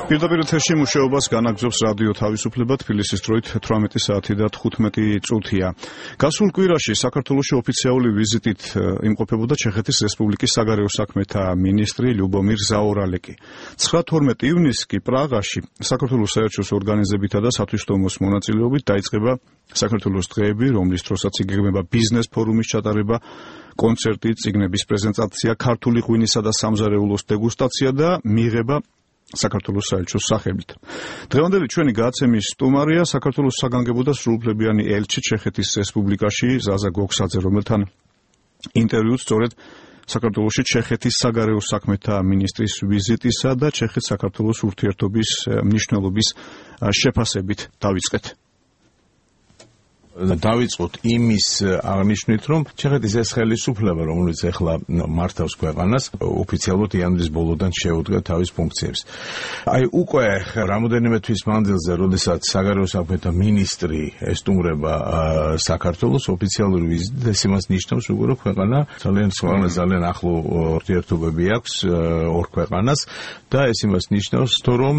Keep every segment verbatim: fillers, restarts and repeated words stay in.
პირდაპირ ეთერში მუშაობას განაგრძობს რადიო თავისუფლება, თბილისის დროით თვრამეტი საათი და თხუთმეტი წუთია. გასულ კვირაში საქართველოში ოფიციალური ვიზიტით იმყოფებოდა ჩეხეთის რესპუბლიკის საგარეო საქმეთა მინისტრი ლიუბომირ ზაორალეკი. ცხრა თორმეტი ივნისს კი პრაღაში საქართველოს საერთაშორისო ორგანიზებითა და სათვისტომოს მონაწილეობით დაიწყება საქართველოს დღეები, რომლის დროსაც იგეგმება ბიზნეს ფორუმის ჩატარება, კონცერტი, წიგნების პრეზენტაცია, ქართული ღვინისა და სამზარეულოს დეგუსტაცია და მიღება საქართველოს საელჩოს სახელით. დღევანდელი ჩვენი გადაცემის სტუმარია საქართველოს საგანგებო და სრულუფლებიანი ელჩი ჩეხეთის რესპუბლიკაში ზაზა გოგსაძე, რომელთან ინტერვიუც სწორედ საქართველოში ჩეხეთის საგარეო საქმეთა მინისტრის ვიზიტისა და ჩეხეთ-საქართველოს ურთიერთობის მნიშვნელობის შეფასებით დავიწყეთ. დავიწყოთ იმის აღნიშვნით, რომ ჩეხეთის ეს ხელისუფლება, რომელიც ახლა მართავს ქვეყანას, ოფიციალურად იანვრის ბოლოდან შეუდგა თავის ფუნქციებს. აი უკვე რამოდენიმე თვის მანძილზე, როდესაც საგარეო საქმეთა მინისტრი ესტუმრება საქართველოს ოფიციალური ვიზიტით, ეს იმას ნიშნავს უკვე, რომ ქვეყანა ძალიან სხვაგვარად ძალიან ახლო ურთიერთობები აქვს ორ ქვეყანას და ეს იმას ნიშნავს, რომ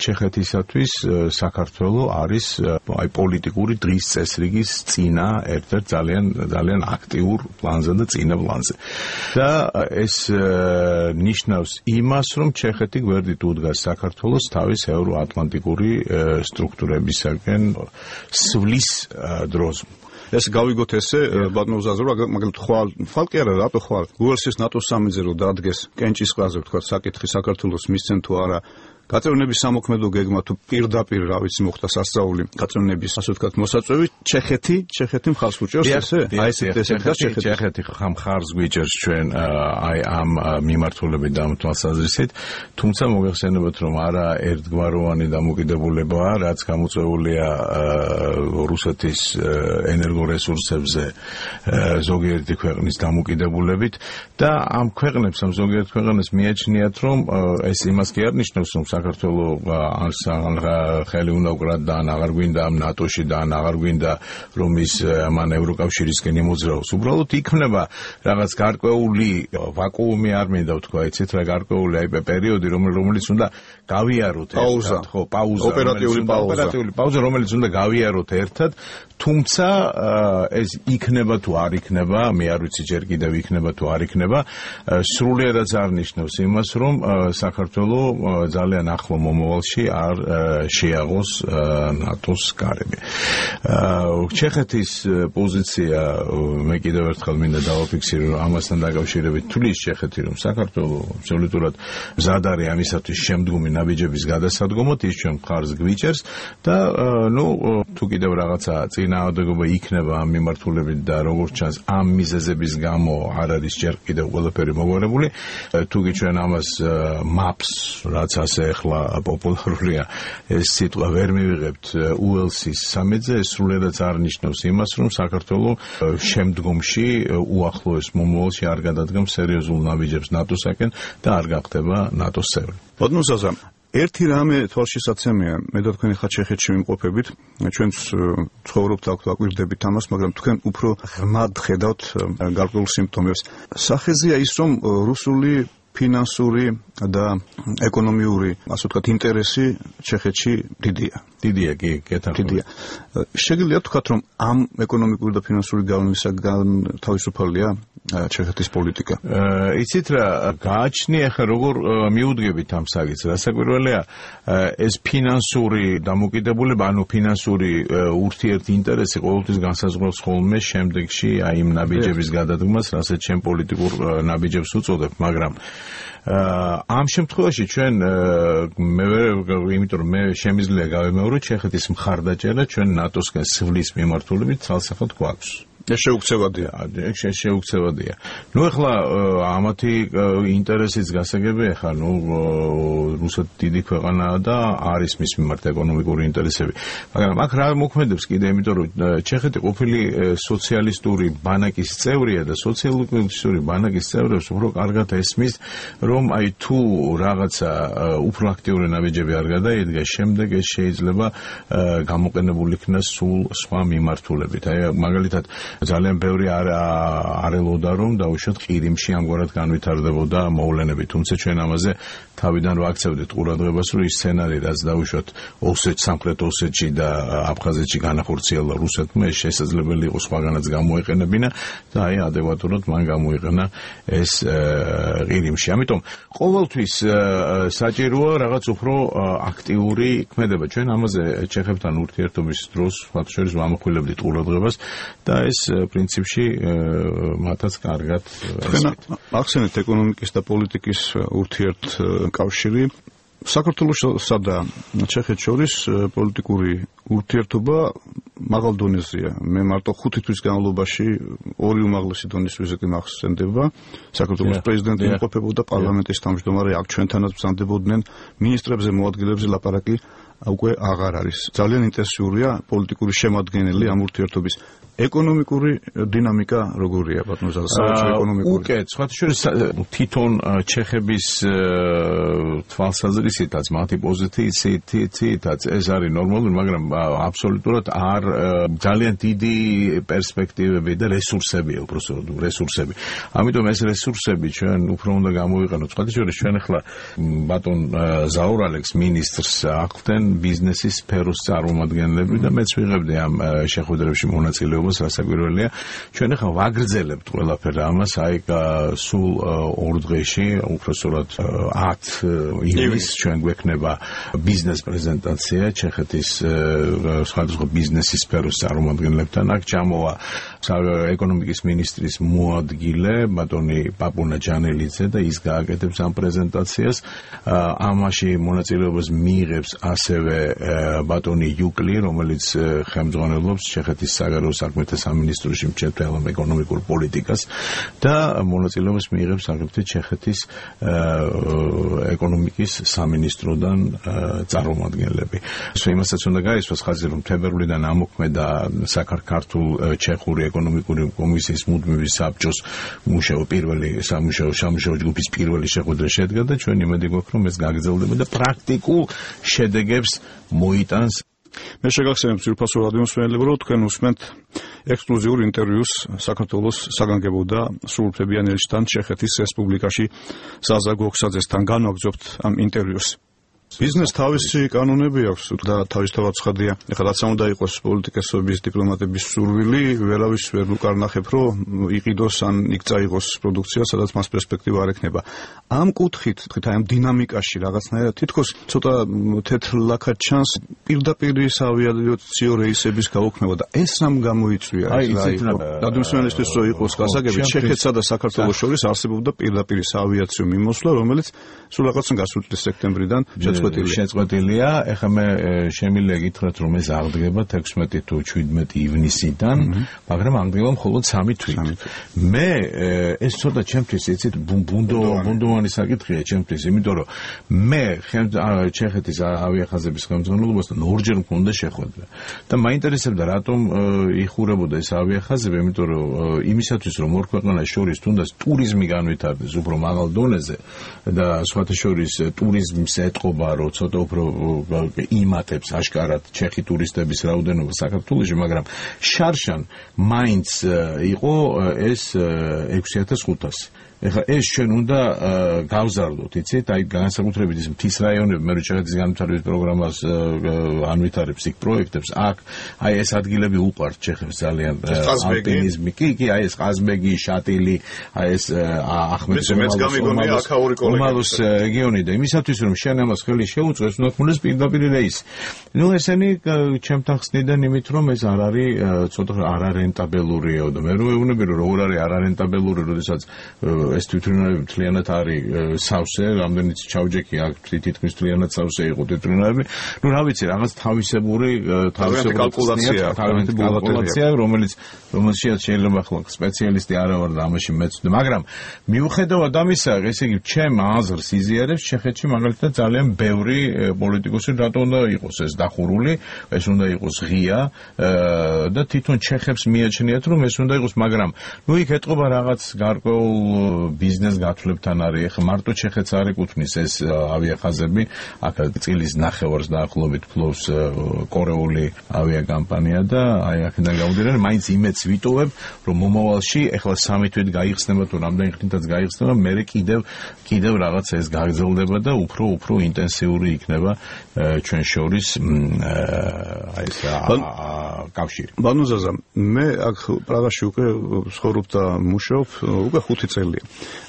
ჩეხეთისათვის საქართველო არის აი პოლიტიკური დღის წესრიგი წინა ერთ-ერთ ძალიან ძალიან აქტიურ პლანზე და წინა პლანზე. და ეს ნიშნავს იმას, რომ ჩეხეთი გვერდით უდგას საქართველოს თავის ევროატლანტიკური სტრუქტურებისაგან სვლის დროს. ეს გავიგოთ ესე, ბატონო ზაზრო, მაგალითად ხვალ, ხვალ კი არა, რატო ხვალ? უელსის ნატოს სამიზე რო დაადგეს კენჭის ყაზე, ვთქვა, საკითხი საქართველოს მისცენ თუ არა. გაწევრიანების სამოქმედო გეგმა თუ პირდაპირ რა ვიცი მოხდა სასწაული გაწევრიანების ასე ვთქვათ მოსაწვევი ჩეხეთი ჩეხეთი მხარს უჭერს ესე აი ესეთ ესეთ ჩეხეთი ჩეხეთი მხარს გვიჭერს ჩვენ აი ამ მიმართულებით და ამ თვალსაზრისით, თუმცა მოგეხსენებათ, რომ არა ერთგვაროვანი დამოკიდებულებაა, რაც გამოწვეულია რუსეთის ენერგორესურსებზე ზოგიერთი ქვეყნის დამოკიდებულებით და ამ ქვეყნებს ამ ზოგიერთ ქვეყანას მიაჩნიათ, რომ ეს იმას კი არ ნიშნავს, რომ საქართველო ხელი უნდა უკრათ და ან აღარ გვინდა ამ ნატოში და ან აღარ გვინდა რომ ის მან ევროკავშირისკენ იმოძრაოს. უბრალოდ იქნება რაღაც გარკვეული ვაკუუმი, არ მინდა ვთქვა, იცით რა, გარკვეული აი პერიოდი, რომელიც უნდა გავიაროთ პაუზა, ხო, პაუზა, ოპერატიული პაუზა, ოპერატიული პაუზა, რომელიც უნდა გავიაროთ ერთად, თუმცა ეს იქნება თუ არ იქნება, მე არ ვიცი ჯერ კიდევ იქნება თუ არ იქნება, სრულიადაც არ ნიშნავს იმას, რომ საქართველო ძალიან ახლო მომავალში არ შეაღოს ნატოს გარემი. ჩეხეთის პოზიცია, მე კიდევ ერთხელ მინდა დავაფიქსირო, რომ ამასთან დაკავშირებით თulis ჩეხეთი, რომ საქართველო აბსოლუტურად მზად არის ამისათვის შემდგომი ნაბიჯების გადასადგომად, ის ჩვენ მხარს გვიჭერს და ნუ თუ კიდევ რაღაცა წინააღმდეგობა იქნება ამ მიმართულებით და როგორც ჩანს ამ მიზეზების გამო არ არის ჯერ კიდევ ყველაფერი მოგვარებული, თუ კი ჩვენ ამას maps რაც ასე ახლა პოპულარულია ეს სიტყვა ვერ მივიღებთ უელსის სამედზე, ეს სრულიადაც არ ნიშნავს იმას, რომ საქართველო შემდგომში უახლოეს მომავალში არ გადადგამს სერიოზულ ნაბიჯებს ნატოსაკენ და არ გახდება ნატოს წევრი. ბატონო ზაზა, ერთი რამე თვალშისაცემია, მე და თქვენი ხა ჩეხეთში ვიმყოფებით, ჩვენც ცხოვრობთ აქ აკვირდებით ამას, მაგრამ თქვენ უფრო ღრმად ხედავთ გარკვეულ სიმპტომებს. სახეზეა ის, რომ რუსული ფინანსური და ეკონომიური, ასე ვთქვათ, ინტერესი ჩეხეთში დიდია. დიდია, კი, კეთილია. შეგიძლიათ ვთქვათ, რომ ამ ეკონომიკური და ფინანსური გავლენისაგან თავისუფალია ჩეხეთის პოლიტიკა? იცით რა, გააჩნია ხა როგორ მიუდგებით ამ საკითხს. რასაკვირველია, ეს ფინანსური დამოკიდებულება, ანუ ფინანსური ურთიერთ ინტერესი ყოველთვის განსაზღვრავს ხოლმე შემდეგში აი იმ ნაბიჯების გადადგმას, რასაც ჩვენ პოლიტიკურ ნაბიჯებს უწოდებ, მაგრამ ამ შემთხვევაში ჩვენ მე იმიტომ რომ მე შემიძლია გავემეორო ჩეხეთის მხარდაჭერა ჩვენ ნატოსკენ სვლის მიმართულებით ცალსახად გვაქვს. ეს შეუქცევადია. ეს შეუქცევადია. ნუ ახლა ამათი ინტერესიც გასაგებია, ხა ნუ რუსეთი დიდი ქვეყანაა და არის მის მიმართ ეკონომიკური ინტერესები. მაგრამ აქ რა მოქმედებს კიდე, იმიტომ რომ ჩეხეთი ყოფილი სოციალისტური ბანაკის წევრია და სოციალისტური ბანაკის წევრებს უფრო კარგად ესმის, რომ აი თუ რაღაცა უფრო აქტიური ნაბიჯები არ გადაიდგა, შემდეგ ეს შეიძლება გამოყენებული იქნას სულ სხვა მიმართულებით. აი მაგალითად ძალიან ბევრი არ არელოდა რომ დაუშვათ ყირიმში ამგვარად განვითარდებოდა მოვლენები, თუმცა ჩვენ ამაზე თავიდან ვაქცევდით ყურადღებას, რომ ის სცენარი, რაც დაუშვათ ოსეთ სამხრეთ ოსეთში და აფხაზეთში განახორციელა რუსეთმა, ეს შესაძლებელი იყო სხვაგანაც გამოეყენებინა და აი ადეკვატურად მან გამოიყენა ეს ყირიმში. ამიტომ ყოველთვის საჭიროა რაღაც უფრო აქტიური ქმედება. ჩვენ ამაზე ჩეხებთან ურთიერთობის დროს ფაქტშორის ვამახვილებდით ყურადღებას და ეს პრინციპში მათაც კარგად ახსენეთ ეკონომიკის და პოლიტიკის ურთიერთკავშირი. საქართველოსა და ჩეხეთს შორის პოლიტიკური ურთიერთობა მაღალ დონეზეა. მე მარტო ხუთი თვის განმავლობაში ორი უმაღლესი დონის ვიზიტი მახსენდება. საქართველოს პრეზიდენტი იმყოფებოდა, პარლამენტის თავმჯდომარე აქ ჩვენთანაც ბრძანდებოდნენ, მინისტრებზე, მოადგილეებზე ლაპარაკი უკვე აღარ არის. ძალიან ინტენსიურია პოლიტიკური შემადგენელი ამ ურთიერთობის. ეკონომიკური დინამიკა როგორია ბატონო ზალსავაჭრო ეკონომიკური? უკეთ, სხვათა შორის თვითონ ჩეხების თვალსაზრისითაც, მათი პოზიციითაც ეს არის ნორმალური, მაგრამ აბსოლუტურად არ ძალიან დიდი პერსპექტივები და რესურსებია, უბრალოდ რესურსები. ამიტომ ეს რესურსები ჩვენ უფრო უნდა გამოვიყენოთ. სხვათა შორის ჩვენ ახლა ბატონ ზაურ ალექს მინისტრს აღვდენ ბიზნესის სფეროს წარმომადგენლები და მეც ვიღებდი ამ შეხვედრებში მონაწილეობას. რასაკვირველია, ჩვენ ახლა ვაგრძელებთ ყველაფერ ამას, აი სულ ორ დღეში, უпроსტოდ ათ ივნისს ჩვენ გვექნება ბიზნეს პრეზენტაცია ჩეხეთის სხვადასხვა ბიზნესის სფეროს წარმომადგენლებთან. აქ ჩამოვა ეკონომიკის მინისტრის მოადგილე ბატონი პაპუნა ჯანელიძე და ის გააკეთებს ამ პრეზენტაციას. ამაში მონაწილეობას მიიღებს ასევე ბატონი იუკლი, რომელიც ხელმძღვანელობს ჩეხეთის საგარეო საქმეთა სამინისტროში მჭერდელობ ეკონომიკურ პოლიტიკას და მონაწილეობას მიიღებს აგრეთვე ჩეხეთის ეკონომიკის სამინისტროდან წარმომადგენლები. იმასაც უნდა გაიცნოს ხაზი, რომ თებერვლიდან ამოქმედა საქართველოს-ჩეხური ეკონომიკური კომისიის მუდმივი საბჭოს მუშაო პირველი სამუშაო სამუშაო ჯგუფის პირველი შეხვედრა შედგა და ჩვენ იმედი გვაქვს, რომ ეს გაგრძელდება და პრაქტიკულ შედეგებს მოიტანს. მე შეგახსენებ ძირფასო რადიო მსმენელებო, რომ თქვენ უსმენთ ექსკლუზიურ ინტერვიუს საქართველოს საგანგებო და სრულუფლებიან ელჩთან ჩეხეთის რესპუბლიკაში ზაზა გოხსაძესთან. განვაგრძობთ ამ ინტერვიუს. ბიზნეს თავისი კანონები აქვს და თავისთავად ცხადია. ეხლა რაც უნდა იყოს პოლიტიკოსების, დიპლომატების სურვილი, ვერავის ვერ უკარნახებ, რომ იყიდოს ან იქ წაიღოს პროდუქცია, სადაც მას პერსპექტივა არ ექნება. ამ კუთხით, თქით აი ამ დინამიკაში რაღაცნაირად თითქოს ცოტა თეთრ ლაქად ჩანს პირდაპირი საავიაციო რეისების გაუქმება და ეს რამ გამოიწვია? აი იცით რა, რადიოსმენელისთვის რო იყოს გასაგები, ჩეხეთსა და საქართველოს შორის არსებობდა პირდაპირი საავიაციო მიმოსვლა, რომელიც სულ რაღაც გასულ წლის სექტემბრიდან შეწყვეტილია. ეხლა მე შემიძლია გითხრათ, რომ ეს აღდგება თექვსმეტი თუ შვიდმეტი ივნისიდან, მაგრამ აღდგება მხოლოდ სამი თვით. მე ეს ცოტა ჩემთვის იცით ბუნდო ბუნდოვანი საკითხია ჩემთვის, იმიტომ რომ მე ჩეხეთის ავიახაზების ხელმძღვანელობასთან ორჯერ მქონდა შეხვედრა და მაინტერესებდა რატომ იხურებოდა ეს ავიახაზები, იმიტომ რომ იმისათვის რომ ორ ქვეყანას შორის თუნდაც ტურიზმი განვითარდეს უფრო მაღალ დონეზე და სხვათა შორის ტურიზმს ეტყობა, რომ ცოტა უფრო იმატებს აშკარად ჩეხი ტურისტების რაოდენობა საქართველოში, მაგრამ შარშან მაინც იყო ეს ექვსი ათას ხუთასი. ეხლა ეს ჩვენ უნდა გავზარდოთ, იცით, აი განსაკუთრებით ის მთის რაიონები, მე რო ჩეხეთის განვითარების პროგრამას ანვითარებს იქ პროექტებს, აქ აი ეს ადგილები უყვართ ჩეხებს ძალიან ალპინიზმი, კი, კი, აი ეს ყაზბეგი, შატილი, აი ეს ახმეტის რეგიონი და იმისათვის რომ შენ ამას ხელი შეუწყოს, უნდა ქონდეს პირდაპირი რეისი. ნუ ესენი ჩემთან ხსნიდან იმით რომ ეს არ არის ცოტა არარენტაბელურია და მე რო ეუბნები რომ როგორ არის არარენტაბელური, როდესაც ეს თვითმფრინავები მთლიანად არის სავსე, რამდენიც ჩავჯექი აქ თითქმის მთლიანად სავსე იყო თვითმფრინავები. ნუ რა ვიცი, რაღაც თავისებური თავისებური კალკულაცია, კალკულაცია, რომელიც რომელშიც შეიძლება ახლა სპეციალისტი არა ვარ და ამაში მეცდ, მაგრამ მიუხედავად ამისა, ესე იგი, ჩემ აზრს იზიარებს ჩეხეთში მაგალითად ძალიან ბევრი პოლიტიკოსი რატო უნდა იყოს ეს დახურული, ეს უნდა იყოს ღია და თვითონ ჩეხებს მიაჩნიათ რომ ეს უნდა იყოს, მაგრამ ნუ იქ ეტყობა რაღაც გარკვეულ ბიზნეს გათვლებთან არის. ეხლა მარტო ჩეხეთს არ ეკუთვნის ეს ავიახაზები, აქ წილის ნახევარს დაახლოებით ფლობს კორეული ავიაკამპანია და აი აქედან გამომდინარე მაინც იმედს ვიტოვებ, რომ მომავალში ეხლა სამი თვით გაიხსნება თუ რამდენი ხნითაც გაიხსნება, მერე კიდევ კიდევ რაღაც ეს გაგრძელდება და უფრო უფრო ინტენსიური იქნება ჩვენ შორის აი ეს კავშირი. ბანო ზაზა, მე აქ პრაღაში უკვე ცხოვრობ და მუშაობ უკვე ხუთი წელია.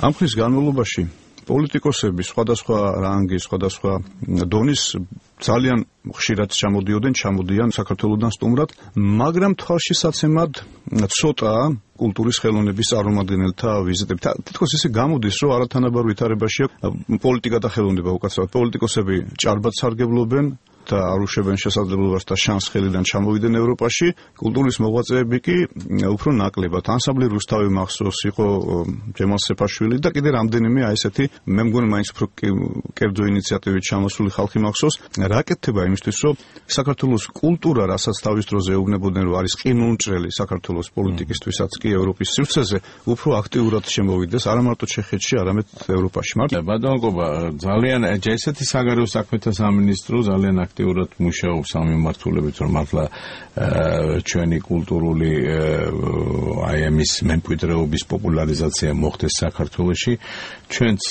ამ ხნის განმავლობაში პოლიტიკოსები სხვადასხვა რანგის, სხვადასხვა დონის ძალიან ხშირად ჩამოდიოდნენ, ჩამოდიან საქართველოსთან სტუმრად, მაგრამ თვალშისაცემად ცოტაა კულტურის ხელოვნების წარმომადგენელთა ვიზიტები. თითქოს ისე გამოდის, რომ არათანაბარ ვითარებაში პოლიტიკა და ხელოვნება უკაცრავად პოლიტიკოსები ჭარბად სარგებლობენ და არ უშვებენ შესაძლებლობას და შანსს ხელიდან ჩამოვიდნენ ევროპაში, კულტურის მოღვაწეები კი უფრო ნაკლებად. ანსამბლი რუსთავი მახსოვს, იყო ჯემალ სეფაშვილი და კიდე რამდენიმე აი ესეთი მე მგონი მაინც უფრო კერძო ინიციატივით ჩამოსული ხალხი მახსოვს. რა კეთდება იმისთვის, რომ საქართველოს კულტურა, რასაც თავის დროზე ეუბნებოდნენ, რომ არის ყინულმჭრელი საქართველოს პოლიტიკისთვისაც კი ევროპის სივრცეზე, უფრო აქტიურად შემოვიდეს არა მარტო ჩეხეთში, არამედ ევროპაში. მარტო ბატონო გობა, ძალიან ესეთი საგარეო საქმეთა სამინისტრო ძალიან აქტიურად მუშაობს ამ მიმართულებით, რომ მართლა ჩვენი კულტურული აი ამის მემკვიდრეობის პოპულარიზაცია მოხდეს საქართველოში. ჩვენც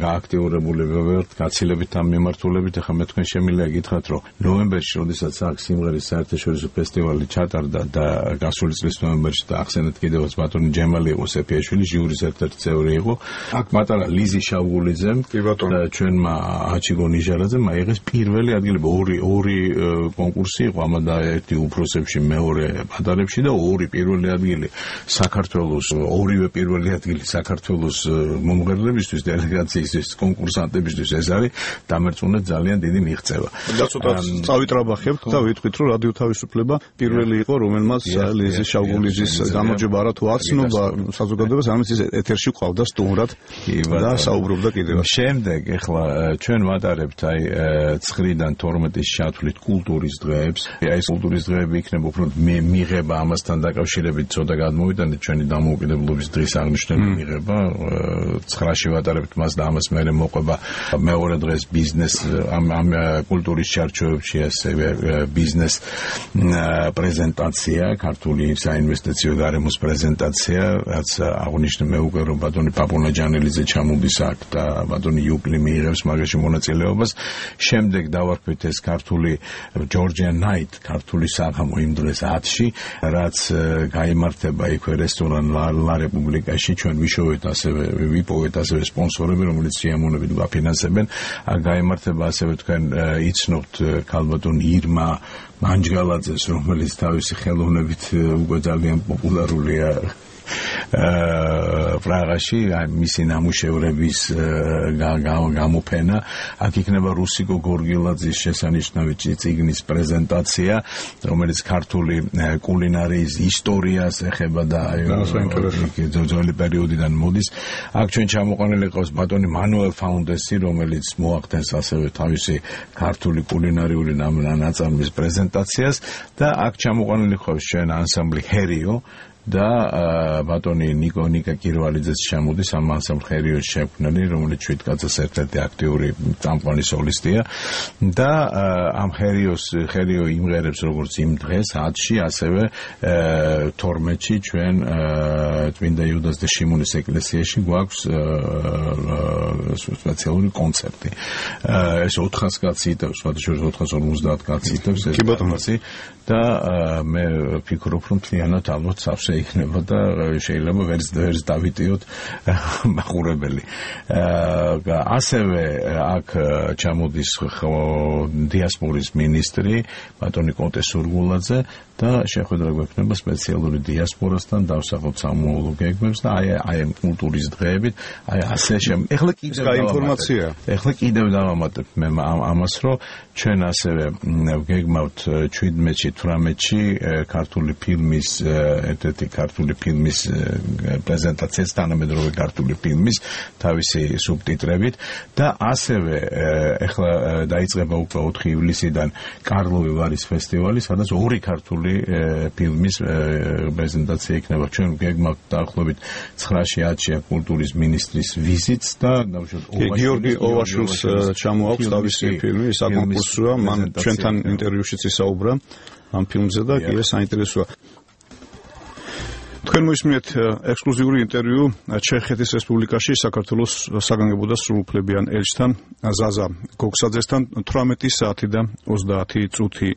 გააქტიურებული ვართ გაცილებით ამ მიმართულებით. ახლა მე თქვენ შემიძლია გითხრათ, რომ ნოემბერში, როდესაც აქ სიმღერის საერთაშორისო ფესტივალი ჩატარდა და გასული წლის ნოემბერში და ახსენეთ კიდევაც ბატონი ჯემალი იყო სეფიაშვილი, ჟიურის ერთ-ერთი წევრი იყო. აქ მატარა ლიზი შავგულიძემ და ჩვენმა აჩიგო ნიჟარაძემ აიღეს პირველი ადგილი. ორი ორი კონკურსი იყო, ამადა ერთი უფროსებში, მეორე პატარებში და ორი პირველი ადგილი საქართველოს, ორივე პირველი ადგილი საქართველოს მომღერლებისთვის, დელეგაციისთვის, კონკურსანტებისთვის ეს არის დამერწმუნეთ ძალიან დიდი მიღწევა. და ცოტა წავიტრაბახებთ და ვიტყვით, რომ რადიო თავისუფლება პირველი იყო, რომელმაც ლიზი შავგულიძის გამარჯვება არა თუ აცნობა საზოგადოებას, ამის ეთერში ყავდა სტუმრად და საუბრობდა კიდევ. შემდეგ ეხლა ჩვენ ვატარებთ აი ცხრიდან თორმეტის ჩათვლით კულტურის დღეებს. აი ეს კულტურის დღეები იქნება უფრო მიღება ამასთან დაკავშირებით ცოტა გადმოვიტანეთ ჩვენი დამოუკიდებლობის დღის აღნიშვნელი მიღება. ცხრაში ვატარებთ მას და ამას მერე მოყვება მეორე დღეს ბიზნეს ამ ამ კულტურის ჩარჩოებში ასევე ბიზნეს პრეზენტაცია, ქართული საინვესტიციო გარემოს პრეზენტაცია, რაც აღნიშნე მე უკვე რომ ბატონი პაპუნა ჯანელიძე ჩამოდის აქ და ბატონი იუკლი მიიღებს მაგაში მონაწილეობას. შემდეგ დავარქვით ეს ქართული ჯორჯია ნაით, ქართული საღამო იმ დღეს ათში, რაც გაიმართება იქვე რესტორან ლა რესპუბლიკაში. ჩვენ ვიშოვეთ ასევე ვიპოვეთ ასევე სპონსორები, რომელიც სიამოვნებით გვაფინანსებენ. გაიმართება ასევე თქვენ იცნობთ ქალბატონ ირმა მანჯგალაძეს, რომელიც თავისი ხელოვნებით უკვე ძალიან პოპულარულია პრაღაში, მისი ნამუშევრების გამოფენა. აქ იქნება რუსიკო გორგილაძის შესანიშნავი წიგნის პრეზენტაცია, რომელიც ქართული კულინარიის ისტორიას ეხება და ძველი პერიოდიდან მოდის. აქ ჩვენ ჩამოყვანილი ყავს ბატონი მანუელ ფაუნდესი, რომელიც მოახდენს ასევე თავისი ქართული კულინარიული ნაწარმის პრეზენტაციას და აქ ჩამოყვანილი ყავს ჩვენ ანსამბლი ჰერიო და ბატონი ნიკო ნიკა კირვალიძეც ჩამოდის ამ ანსამბლ ჰერიოს შექმნელი, რომელიც შვიდკაცის ერთ-ერთი აქტიური წამყვანი სოლისტია და ამ ჰერიოს ჰერიო იმღერებს როგორც იმ დღეს ათში, ასევე თორმეტში ჩვენ წმინდა იუდას და შიმონის ეკლესიაში გვაქვს სპეციალური კონცერტი. ეს ოთხას კაცი იტევს, შორის ოთხას ორმოცდაათ კაცი იტევს ეს კონცერტი და მე ვფიქრობ, რომ მთლიანად ალბათ სავსე იქნება და შეიძლება ვერც ვერც დავიტიოთ მაყურებელი. ასევე აქ ჩამოდის დიასპორის მინისტრი ბატონი კონტე სურგულაძე და შეხვედრა გვექნება სპეციალური დიასპორასთან დავსახოთ სამოულო გეგმებს და აი აი კულტურის დღეებით აი ასე შემ ეხლა კიდევ ინფორმაცია ეხლა კიდევ დავამატებ მე ამას, რომ ჩვენ ასევე გეგმავთ შვიდმეტში თვრამეტში ქართული ფილმის ერთ-ერთი ერთი ქართული ფილმის პრეზენტაციაც თანამედროვე ქართული ფილმის თავისი სუბტიტრებით და ასევე ეხლა დაიწყება უკვე ოთხი ივლისიდან კარლოვი ვარის ფესტივალი, სადაც ორი ქართული ფილმის პრეზენტაცია იქნება. ჩვენ გეგმავთ დაახლოებით ცხრაში ათშია კულტურის მინისტრის ვიზიტს და გიორგი ოვაშვილს ჩამოაქვს თავისი ფილმი, საკონკურსოა, მან ჩვენთან ინტერვიუშიც ისაუბრა ამ ფილმზე და კი ეს საინტერესოა. თქვენ მოისმინეთ ექსკლუზიური ინტერვიუ ჩეხეთის რესპუბლიკაში საქართველოს საგანგებო და სრულუფლებიან ელჩთან ზაზა გოგსაძესთან თვრამეტი საათი და ოცდაათი წუთი